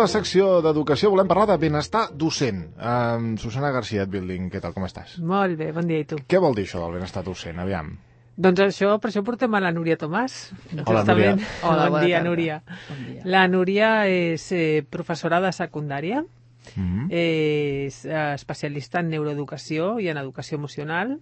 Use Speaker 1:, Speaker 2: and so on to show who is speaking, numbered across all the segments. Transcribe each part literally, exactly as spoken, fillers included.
Speaker 1: la secció d'educació volem parlar de benestar docent. Um, Susana García, Building, què tal, com estàs?
Speaker 2: Molt bé, bon dia, i tu?
Speaker 1: Què vol dir això del benestar docent? Aviam.
Speaker 2: Doncs això, per això portem a la Núria Tomàs.
Speaker 1: Hola, Núria.
Speaker 2: Hola, bon dia, Núria. Bon dia. La Núria és eh, professora de secundària, mm-hmm. és eh, especialista en neuroeducació i en educació emocional,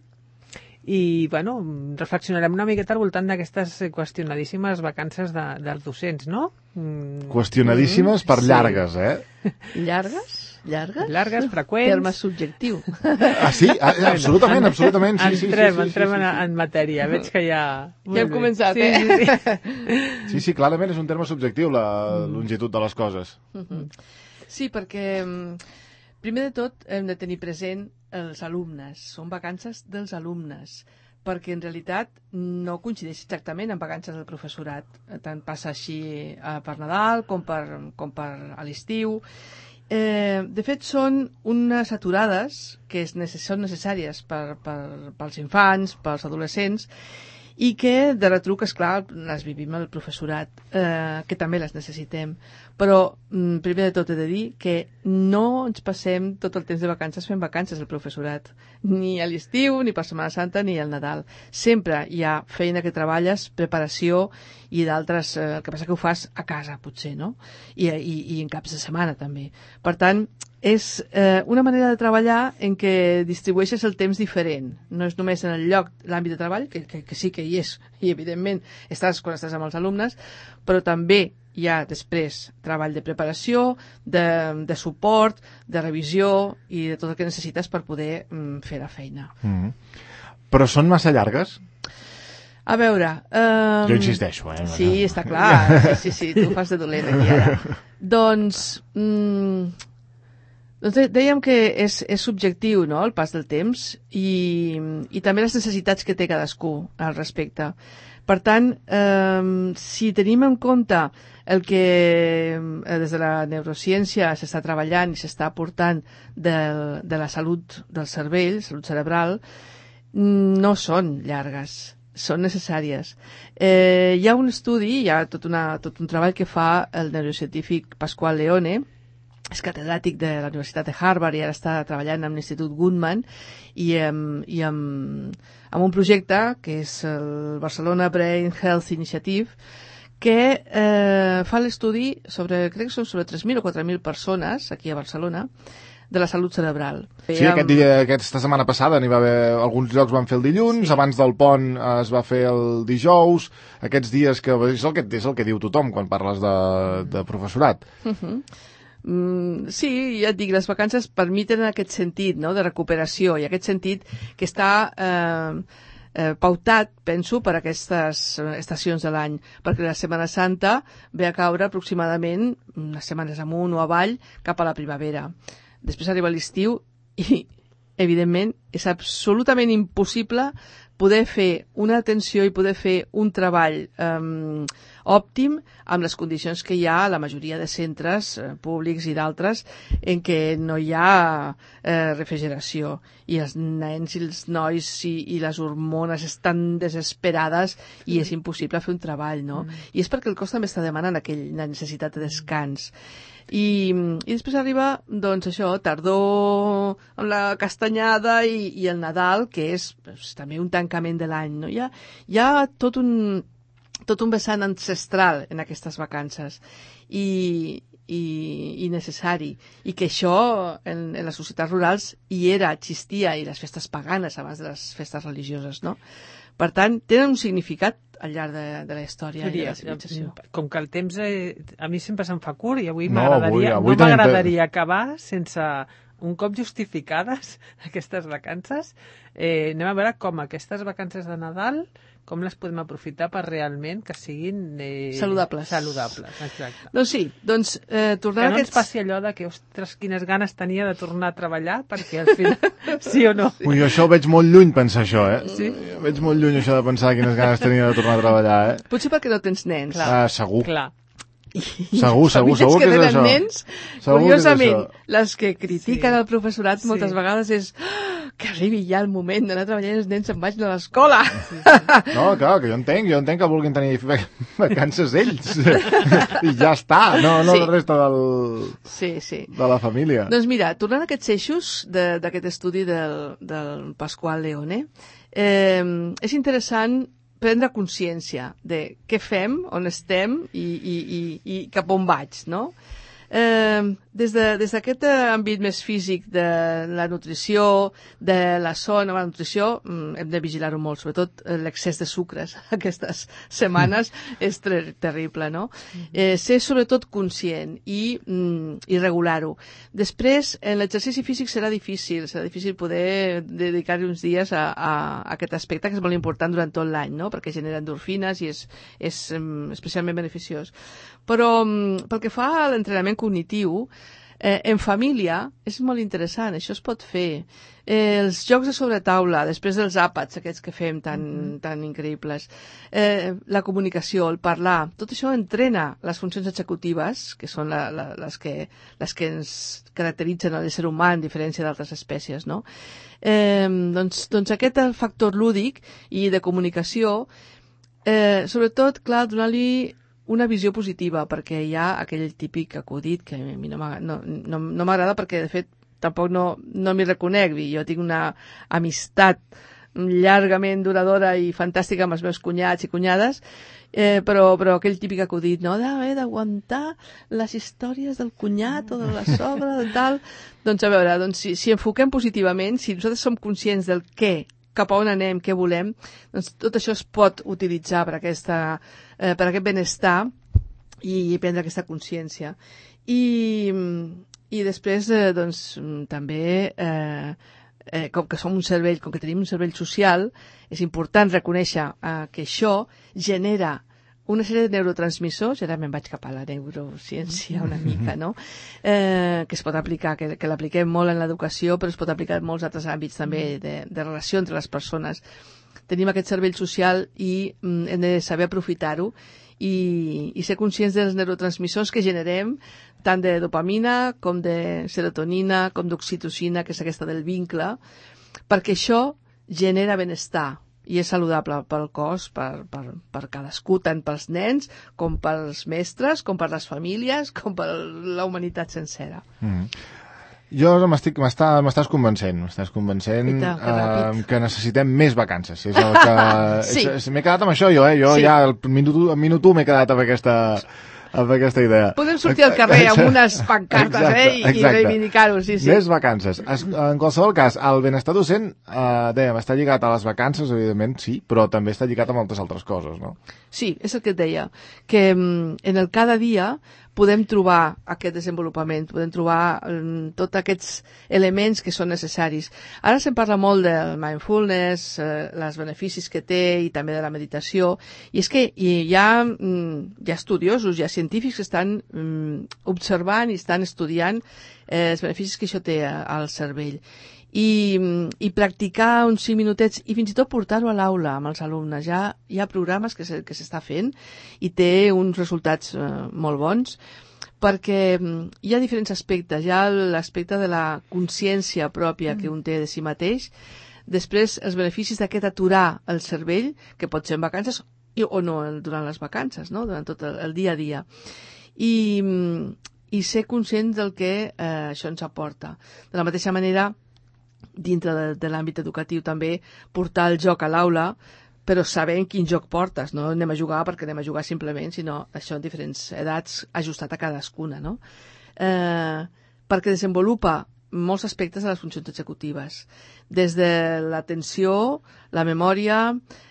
Speaker 2: i, bueno, reflexionarem una miqueta al voltant d'aquestes qüestionadíssimes vacances de, dels docents, no?
Speaker 1: Mm. Qüestionadíssimes mm, per llargues, sí. eh?
Speaker 3: Llargues? Llargues?
Speaker 2: Llargues, freqüents.
Speaker 3: Terme subjectiu.
Speaker 1: Ah, sí? Ah, absolutament, absolutament. Sí,
Speaker 2: entrem,
Speaker 1: sí, sí,
Speaker 2: entrem
Speaker 1: sí, sí,
Speaker 2: en,
Speaker 1: sí.
Speaker 2: en matèria. Veig que ja...
Speaker 3: Ja hem començat,
Speaker 2: sí,
Speaker 3: eh?
Speaker 2: Sí, sí.
Speaker 1: sí, sí, clarament és un terme subjectiu, la longitud de les coses.
Speaker 3: Mm-hmm. Sí, perquè primer de tot hem de tenir present els alumnes. Són vacances dels alumnes, perquè en realitat no coincideix exactament amb vacances del professorat. Tant passa així eh, per Nadal com per, com per a l'estiu. Eh, de fet, són unes aturades que és necess són necessàries per, per, pels infants, pels adolescents, i que de retruc, esclar, les vivim al professorat, eh, que també les necessitem. Però, mm, primer de tot he de dir que no ens passem tot el temps de vacances fent vacances al professorat, ni a l'estiu, ni per Setmana Santa, ni al Nadal. Sempre hi ha feina que treballes, preparació i d'altres, eh, el que passa que ho fas a casa, potser, no? I, i, i en caps de setmana, també. Per tant, és eh, una manera de treballar en què distribueixes el temps diferent. No és només en el lloc, l'àmbit de treball, que, que, que sí que hi és, i evidentment estàs quan estàs amb els alumnes, però també hi ha després treball de preparació, de, de suport, de revisió i de tot el que necessites per poder mm, fer la feina.
Speaker 1: Mm-hmm. Però són massa llargues?
Speaker 3: A veure... Um...
Speaker 1: Jo insisteixo, eh?
Speaker 3: Sí, està clar. Sí, sí, sí, tu fas de dolent aquí ara. Doncs... Mm... Doncs dèiem que és, és subjectiu, no?, el pas del temps i, i també les necessitats que té cadascú al respecte. Per tant, eh, si tenim en compte el que eh, des de la neurociència s'està treballant i s'està aportant de, de la salut del cervell, salut cerebral, no són llargues, són necessàries. Eh, hi ha un estudi, hi ha tot, una, tot un treball que fa el neurocientífic Pasquale Leone, és catedràtic de la Universitat de Harvard i ara està treballant amb l'Institut Goodman i, amb, i amb, amb un projecte que és el Barcelona Brain Health Initiative que eh, fa l'estudi sobre, crec que són sobre tres mil o quatre mil persones aquí a Barcelona de la salut cerebral.
Speaker 1: Sí, aquest dia, aquesta setmana passada n'hi va haver, alguns llocs van fer el dilluns, sí. Abans del pont es va fer el dijous, aquests dies que és el que, és el que diu tothom quan parles de, de professorat.
Speaker 3: Uh-huh. Mm, sí, ja et dic, les vacances permeten aquest sentit, no?, de recuperació i aquest sentit que està eh, eh, pautat, penso, per aquestes estacions de l'any, perquè la Setmana Santa ve a caure aproximadament unes setmanes amunt o avall cap a la primavera. Després arriba l'estiu i, evidentment, és absolutament impossible poder fer una atenció i poder fer un treball eh, òptim amb les condicions que hi ha a la majoria de centres eh, públics i d'altres en què no hi ha eh, refrigeració i els nens i els nois i, i les hormones estan desesperades i és impossible fer un treball, no? Mm. I és perquè el cos també està demanant aquella necessitat de descans. I, i després arriba, doncs això, tardor amb la castanyada i, i el Nadal, que és doncs, també un tancament de l'any, no? Hi ha, hi ha tot un tot un vessant ancestral en aquestes vacances i, i, i necessari, i que això en, en les societats rurals hi era, existia, i les festes paganes abans de les festes religioses, no? Per tant, tenen un significat al llarg de, de la història i de la civilització.
Speaker 2: Com que el temps eh, a mi sempre se'm fa curt i avui
Speaker 1: no,
Speaker 2: m'agradaria
Speaker 1: avui, avui
Speaker 2: no m'agradaria acabar sense un cop justificades aquestes vacances. Eh, anem a veure com aquestes vacances de Nadal, com les podem aprofitar per realment que siguin eh,
Speaker 3: saludables.
Speaker 2: Saludables, exacte.
Speaker 3: Doncs sí, doncs eh, tornant
Speaker 2: que no
Speaker 3: a aquests...
Speaker 2: ens passi allò de que, ostres, quines ganes tenia de tornar a treballar, perquè al final, sí o no?
Speaker 1: Ui, jo això ho veig molt lluny, pensar això, eh?
Speaker 2: Sí?
Speaker 1: Jo veig molt lluny això de pensar quines ganes tenia de tornar a treballar, eh?
Speaker 3: Potser perquè no tens nens.
Speaker 2: Clar.
Speaker 1: Ah, segur.
Speaker 2: Clar.
Speaker 1: Segur, segur, segur que,
Speaker 3: que
Speaker 1: és això.
Speaker 3: Nens,
Speaker 1: segur
Speaker 3: curiosament,
Speaker 1: que és això.
Speaker 3: les que critiquen
Speaker 2: Sí.
Speaker 3: el professorat moltes
Speaker 2: Sí.
Speaker 3: vegades és ah, que arribi ja el moment d'anar a treballar i els nens se'n vagin a l'escola. Sí,
Speaker 1: sí. No, clar, que jo entenc, jo entenc que vulguin tenir vacances ells. I ja està, no, no sí. La resta del,
Speaker 3: sí, sí.
Speaker 1: de la família.
Speaker 3: Doncs mira, tornant a aquests eixos d'aquest estudi del, del Pasqual Leone, eh, és interessant prendre consciència de què fem, on estem i, i, i, i cap on vaig, no? Eh, des d'aquest de, àmbit més físic de la nutrició, de la son, la nutrició, hem de vigilar-ho molt, sobretot l'excés de sucres aquestes setmanes és ter terrible, no? Eh, ser sobretot conscient i, mm, i regular-ho. Després, en l'exercici físic serà difícil, serà difícil poder dedicar-hi uns dies a, a, a aquest aspecte que és molt important durant tot l'any, no? Perquè genera endorfines i és, és um, especialment beneficiós. Però um, pel que fa a l'entrenament cognitiu, eh, en família és molt interessant, això es pot fer. Eh, els jocs de sobretaula, després dels àpats aquests que fem tan, mm-hmm. tan increïbles, eh, la comunicació, el parlar, tot això entrena les funcions executives, que són la, la, les, que, les que ens caracteritzen a l'ésser humà en diferència d'altres espècies, no? Eh, doncs, doncs aquest factor lúdic i de comunicació, eh, sobretot, clar, donar-li una visió positiva, perquè hi ha aquell típic acudit que a mi no m'agrada no, no, no perquè, de fet, tampoc no, no m'hi reconec. Jo tinc una amistat llargament duradora i fantàstica amb els meus cunyats i cunyades, eh, però, però aquell típic acudit, no?, d'haver d'aguantar les històries del cunyat o de la sogra, de tal... Doncs a veure, doncs, si, si enfoquem positivament, si nosaltres som conscients del què, cap a on anem, què volem, doncs tot això es pot utilitzar per, aquesta, eh, per aquest benestar i prendre aquesta consciència. I, i després, eh, doncs, també, eh, eh, com que som un cervell, com que tenim un cervell social, és important reconèixer eh, que això genera una sèrie de neurotransmissors, i ara me'n vaig cap a la neurociència una mica, no? Eh, que es pot aplicar, que, que l'apliquem molt en l'educació, però es pot aplicar en molts altres àmbits també de, de relació entre les persones. Tenim aquest cervell social i mm, hem de saber aprofitar-ho i, i ser conscients dels neurotransmissors que generem, tant de dopamina com de serotonina, com d'oxitocina, que és aquesta del vincle, perquè això genera benestar i és saludable pel cos, per, per, per cadascú, tant pels nens com pels mestres, com per les famílies, com per la humanitat sencera. Mm.
Speaker 1: Jo m'estàs convencent, m'estàs convencent
Speaker 3: Eita, que,
Speaker 1: eh, que necessitem més vacances. És el que... sí. M'he quedat amb això, jo, eh? Jo sí. Ja al minut, al minut u m'he quedat amb aquesta... amb aquesta idea.
Speaker 3: Podem sortir al carrer amb unes pancartes, exacte, eh, i, i reivindicar-ho, sí, sí.
Speaker 1: Més vacances. Es, en qualsevol cas, el benestar docent, eh, dèiem, està lligat a les vacances, evidentment, sí, però també està lligat a moltes altres coses, no?
Speaker 3: Sí, és el que et deia, que en el cada dia podem trobar aquest desenvolupament, podem trobar um, tots aquests elements que són necessaris. Ara se'n parla molt del mindfulness, eh, els beneficis que té i també de la meditació, i és que hi ha, mm, hi ha estudiosos, hi ha científics que estan mm, observant i estan estudiant eh, els beneficis que això té al cervell. I, i practicar uns cinc minutets i fins i tot portar-ho a l'aula amb els alumnes. Ja hi ha programes que se, que s'està fent i té uns resultats eh, molt bons, perquè hi ha diferents aspectes. Hi ha l'aspecte de la consciència pròpia que un té de si mateix, després els beneficis d'aquest aturar el cervell, que pot ser en vacances i, o no durant les vacances, no? Durant tot el, el dia a dia. I, i ser conscients del que eh, això ens aporta. De la mateixa manera, dintre de, de l'àmbit educatiu també, portar el joc a l'aula, però sabent quin joc portes, no anem a jugar perquè anem a jugar simplement, sinó això en diferents edats ajustat a cadascuna, no? Eh, perquè desenvolupa molts aspectes de les funcions executives, des de l'atenció, la memòria,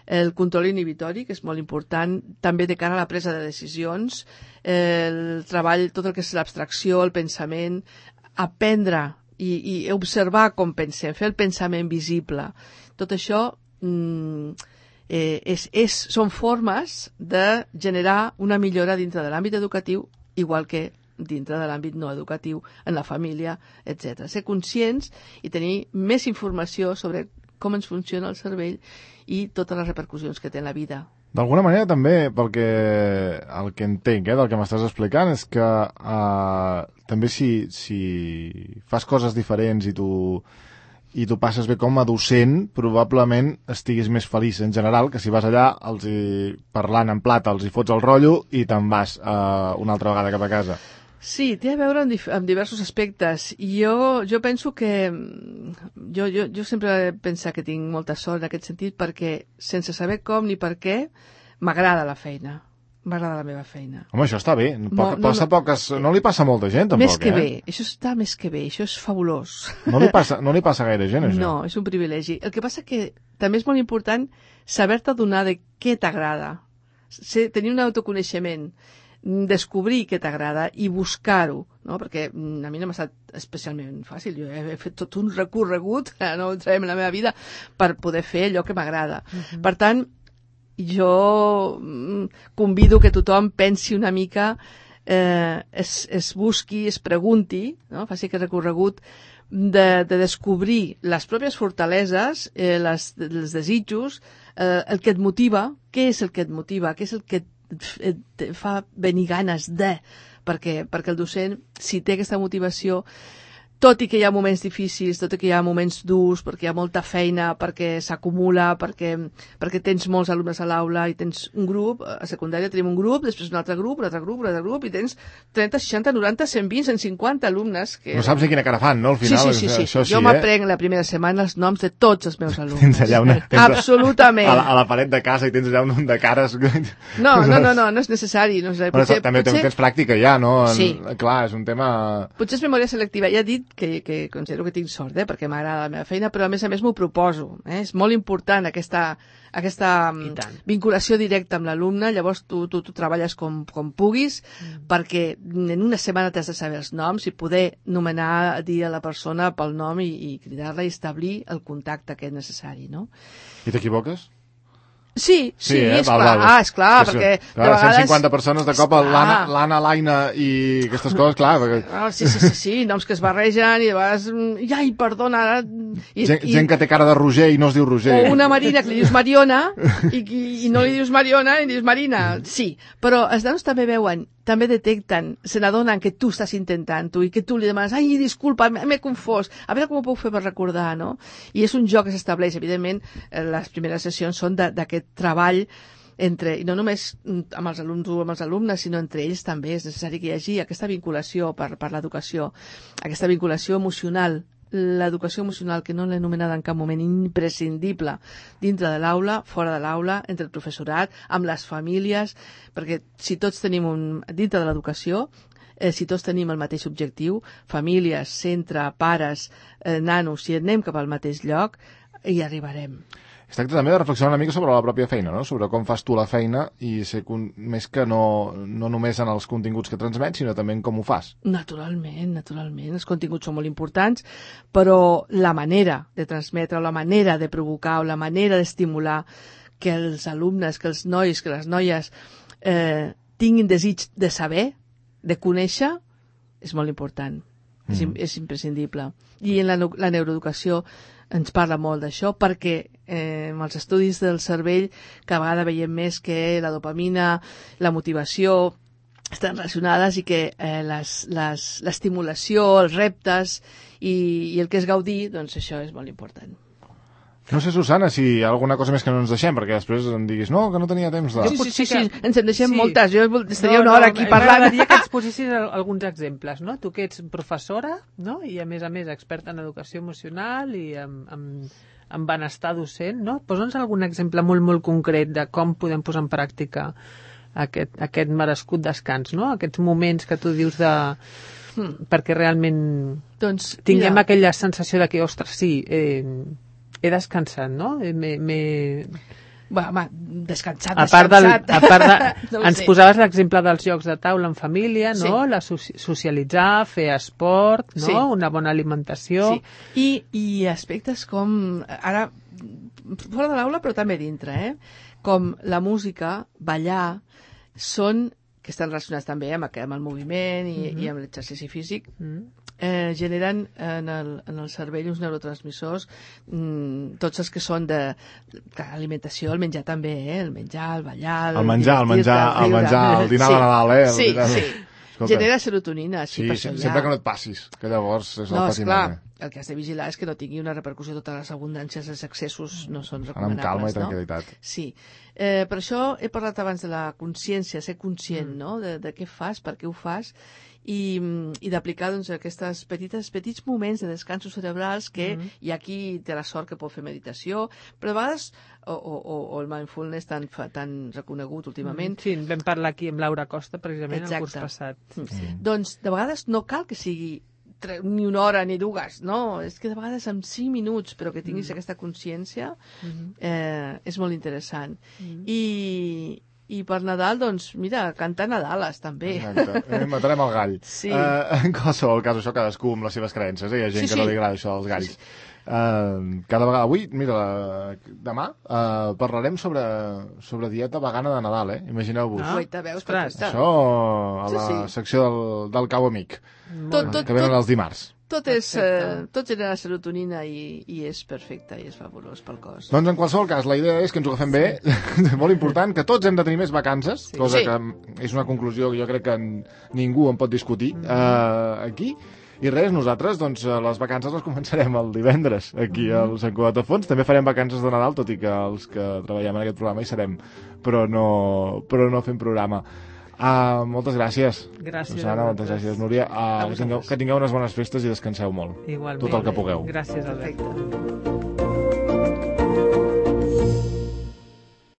Speaker 3: el control inhibitori, que és molt important, també de cara a la presa de decisions, el treball, tot el que és l'abstracció, el pensament, aprendre i, i observar com pensem, fer el pensament visible. Tot això mm, eh, és, és, són formes de generar una millora dintre de l'àmbit educatiu, igual que dintre de l'àmbit no educatiu, en la família, etcètera. Ser conscients i tenir més informació sobre com ens funciona el cervell i totes les repercussions que té en la vida.
Speaker 1: D'alguna manera també, pel que, el que entenc eh, del que m'estàs explicant, és que eh, també si, si fas coses diferents i tu i tu passes bé com a docent, probablement estiguis més feliç en general que si vas allà els hi, parlant en plata, els hi fots el rotllo i te'n vas uh, una altra vegada cap a casa.
Speaker 3: Sí, té a veure amb, amb diversos aspectes. I jo, jo penso que... Jo, jo, jo sempre he pensat que tinc molta sort en aquest sentit perquè, sense saber com ni per què, m'agrada la feina. M'agrada la meva feina.
Speaker 1: Home, això està bé. Poc,
Speaker 3: no, no,
Speaker 1: passa
Speaker 3: no,
Speaker 1: poques, no li passa a molta gent, tampoc,
Speaker 3: més que
Speaker 1: eh?
Speaker 3: bé. Això està més que bé. Això és fabulós.
Speaker 1: No li passa, no li passa a gaire gent, això.
Speaker 3: No, és un privilegi. El que passa que també és molt important saber-te adonar de què t'agrada. Tenir un autoconeixement, descobrir què t'agrada i buscar-ho, no? Perquè a mi no m'ha estat especialment fàcil. Jo he fet tot un recorregut, no entrarem en la meva vida, per poder fer allò que m'agrada. Uh-huh. Per tant, jo convido que tothom pensi una mica, eh, es, es busqui, es pregunti, no? Faci aquest recorregut de, de descobrir les pròpies fortaleses, eh, les, els desitjos, eh, el que et motiva, què és el que et motiva, què és el que et, et fa venir ganes de, perquè, perquè el docent, si té aquesta motivació, tot i que hi ha moments difícils, tot i que hi ha moments durs, perquè hi ha molta feina, perquè s'acumula, perquè, perquè tens molts alumnes a l'aula i tens un grup, a secundària tenim un grup, després un altre grup, un altre grup, un altre grup, i tens trenta, seixanta, noranta, cent vint, cent cinquanta alumnes. Que...
Speaker 1: No saps ni quina cara fan, no, al final?
Speaker 3: Sí, sí, sí. sí.
Speaker 1: Això sí,
Speaker 3: jo
Speaker 1: eh?
Speaker 3: m'aprenc la primera setmana els noms de tots els meus alumnes.
Speaker 1: Tens allà una... Tens
Speaker 3: Absolutament.
Speaker 1: A la, a la paret de casa i tens allà un de cares...
Speaker 3: No, no, no, no, no és necessari. No és necessari.
Speaker 1: Potser, també potser... tens pràctica ja, no? En...
Speaker 3: Sí.
Speaker 1: Clar, és un tema...
Speaker 3: Potser és memòria selectiva. Ja he dit que, que considero que tinc sort, eh, perquè m'agrada la meva feina, però a més a més m'ho proposo. Eh? És molt important aquesta, aquesta vinculació directa amb l'alumne, llavors tu, tu, tu treballes com, com puguis, mm. perquè en una setmana t'has de saber els noms i poder nomenar, dir a la persona pel nom i, i cridar-la i establir el contacte que és necessari, no?
Speaker 1: I t'equivoques?
Speaker 3: Sí, sí,
Speaker 1: sí eh?
Speaker 3: és
Speaker 1: val,
Speaker 3: clar,
Speaker 1: val.
Speaker 3: ah, és clar,
Speaker 1: sí,
Speaker 3: perquè
Speaker 1: sí. Clar,
Speaker 3: vegades...
Speaker 1: cent cinquanta persones de cop, l'Anna, l'Aina i aquestes coses, clar. Perquè...
Speaker 3: Ah, sí, sí, sí, sí, noms que es barregen i de vegades... Ai, perdona... Ara... I,
Speaker 1: gent,
Speaker 3: i...
Speaker 1: gent que té cara de Roger i no es diu Roger.
Speaker 3: O una Marina que li dius Mariona i, i, i no li dius Mariona i li dius Marina. Sí, però els nanos també veuen, també detecten, se n'adonen que tu estàs intentant-ho i que tu li demanes, ai, disculpa, m'he confós, a veure com ho puc fer per recordar, no? I és un joc que s'estableix, evidentment, les primeres sessions són d'aquest treball entre, i no només amb els alumnes o amb els alumnes, sinó entre ells també és necessari que hi hagi aquesta vinculació per, per l'educació, aquesta vinculació emocional, l'educació emocional, que no l'he anomenada en cap moment, imprescindible dintre de l'aula, fora de l'aula, entre el professorat, amb les famílies, perquè si tots tenim un... dintre de l'educació, eh, si tots tenim el mateix objectiu, famílies, centre, pares, eh, nanos, si anem cap al mateix lloc, hi arribarem.
Speaker 1: Es tracta també de reflexionar una mica sobre la pròpia feina, no? Sobre com fas tu la feina i ser con... més que no, no només en els continguts que transmets, sinó també en com ho fas.
Speaker 3: Naturalment, naturalment. Els continguts són molt importants, però la manera de transmetre, la manera de provocar o la manera d'estimular que els alumnes, que els nois, que les noies eh, tinguin desig de saber, de conèixer, és molt important. Mm. És, és imprescindible. I en la, la neuroeducació ens parla molt d'això perquè eh, amb els estudis del cervell cada vegada veiem més que la dopamina, la motivació estan relacionades i que eh, l'estimulació, els reptes i, i el que és gaudir, doncs això és molt important.
Speaker 1: No sé, Susana, si hi ha alguna cosa més que no ens deixem, perquè després em diguis, no, que no tenia temps de...
Speaker 3: Sí, sí, sí, sí, ens en deixem
Speaker 2: sí.
Speaker 3: moltes. Jo estaria
Speaker 2: no,
Speaker 3: una hora
Speaker 2: no,
Speaker 3: aquí parlant.
Speaker 2: M'agradaria que ens posessis alguns exemples, no? Tu que ets professora, no? I a més a més experta en educació emocional i en, en, en benestar docent, no? Posa'ns algun exemple molt, molt concret de com podem posar en pràctica aquest, aquest merescut descans, no? Aquests moments que tu dius de... Hmm, perquè realment doncs, tinguem mira. aquella sensació de que, ostres, sí... Eh, he descansat, no? M'he...
Speaker 3: Va, va, descansat,
Speaker 2: a part
Speaker 3: descansat.
Speaker 2: Del, a part de,
Speaker 3: no
Speaker 2: ens
Speaker 3: sé.
Speaker 2: posaves l'exemple dels jocs de taula en família, no?
Speaker 3: Sí.
Speaker 2: La socialitzar, fer esport, no?
Speaker 3: Sí.
Speaker 2: Una bona alimentació.
Speaker 3: Sí. I, I aspectes com... Ara, fora de l'aula, però també dintre, eh? Com la música, ballar, són que estan relacionats també amb, amb el moviment i, mm-hmm. i amb l'exercici físic, mm. eh, generen en el, en el cervell uns neurotransmissors, mm, tots els que són de alimentació, el menjar també, eh? El menjar, el ballar...
Speaker 1: El menjar, el menjar, el menjar, el dinar sí. de Nadal, eh? El
Speaker 3: sí,
Speaker 1: dinar...
Speaker 3: sí. Escolta. Genera serotonina.
Speaker 1: Sí, sempre que no et passis, que llavors és el
Speaker 3: no,
Speaker 1: patiment.
Speaker 3: Esclar, el que has de vigilar és que no tingui una repercussió, totes les abundàncies, els excessos no són
Speaker 1: Anar
Speaker 3: recomanables.
Speaker 1: amb calma i
Speaker 3: no?
Speaker 1: tranquil·litat.
Speaker 3: Sí. Eh, per això he parlat abans de la consciència, ser conscient,
Speaker 2: Mm.
Speaker 3: no?, de, de què fas, per què ho fas, i, i d'aplicar doncs, aquestes petites, petits moments de descansos cerebrals que
Speaker 2: Mm.
Speaker 3: hi ha qui té la sort que pot fer meditació, però a vegades, o, o, o- o el mindfulness tan, fa- tan reconegut últimament,
Speaker 2: Sí, en vam parlar aquí amb Laura Costa, precisament, el curs
Speaker 3: Exacte.
Speaker 2: passat.
Speaker 3: Mm. doncs de vegades no cal que sigui tre- ni una hora ni dues, no, és que de vegades en cinc minuts, però que tinguis
Speaker 2: Mm.
Speaker 3: aquesta consciència,
Speaker 2: Mhm.
Speaker 3: eh, és molt interessant.
Speaker 2: Mm.
Speaker 3: I, i per Nadal, doncs, mira, cantar Nadales, també.
Speaker 1: Exacte. Eh, matarem el gall.
Speaker 3: Sí.
Speaker 1: Eh, en qualsevol cas, això cadascú amb les seves creences, eh? Hi ha gent
Speaker 3: Sí,
Speaker 1: que no
Speaker 3: sí.
Speaker 1: li agrada això dels galls.
Speaker 3: Sí,
Speaker 1: Eh, cada vegada, avui, mira, la, demà eh, parlarem sobre, sobre dieta vegana de Nadal, eh? Imagineu-vos.
Speaker 2: Ah.
Speaker 3: Guaita, veus,
Speaker 2: Ostres.
Speaker 3: perfecte.
Speaker 1: Això a
Speaker 3: Sí,
Speaker 1: la
Speaker 3: sí.
Speaker 1: secció del, del cau amic,
Speaker 3: Tot, tot,
Speaker 1: que venen
Speaker 3: tot,
Speaker 1: els dimarts.
Speaker 3: tot, és, eh,
Speaker 2: Perfecte.
Speaker 3: tot genera serotonina i, i és perfecte, i és fabulós pel cos.
Speaker 1: Doncs en qualsevol cas, la idea és que ens ho agafem bé, molt important, que tots hem de tenir més vacances,
Speaker 2: Sí.
Speaker 1: cosa
Speaker 3: Sí.
Speaker 1: que és una conclusió que jo crec que en- ningú en pot discutir eh, aquí. I res, nosaltres, doncs, eh, les vacances les començarem el divendres, aquí al Sant Cugat de Fons. També farem vacances de Nadal, tot i que els que treballem en aquest programa hi serem, però no, però no fem programa. Uh, moltes gràcies.
Speaker 2: Gràcies
Speaker 1: Susana,
Speaker 2: a
Speaker 1: moltes
Speaker 2: vosaltres.
Speaker 1: gràcies, Núria.
Speaker 3: A
Speaker 1: Uh, que,
Speaker 3: vosaltres.
Speaker 1: tingueu, que tingueu unes bones festes i descanseu molt.
Speaker 2: Igualment.
Speaker 1: Tot el que pugueu.
Speaker 2: Gràcies, Albert.
Speaker 3: Perfecte.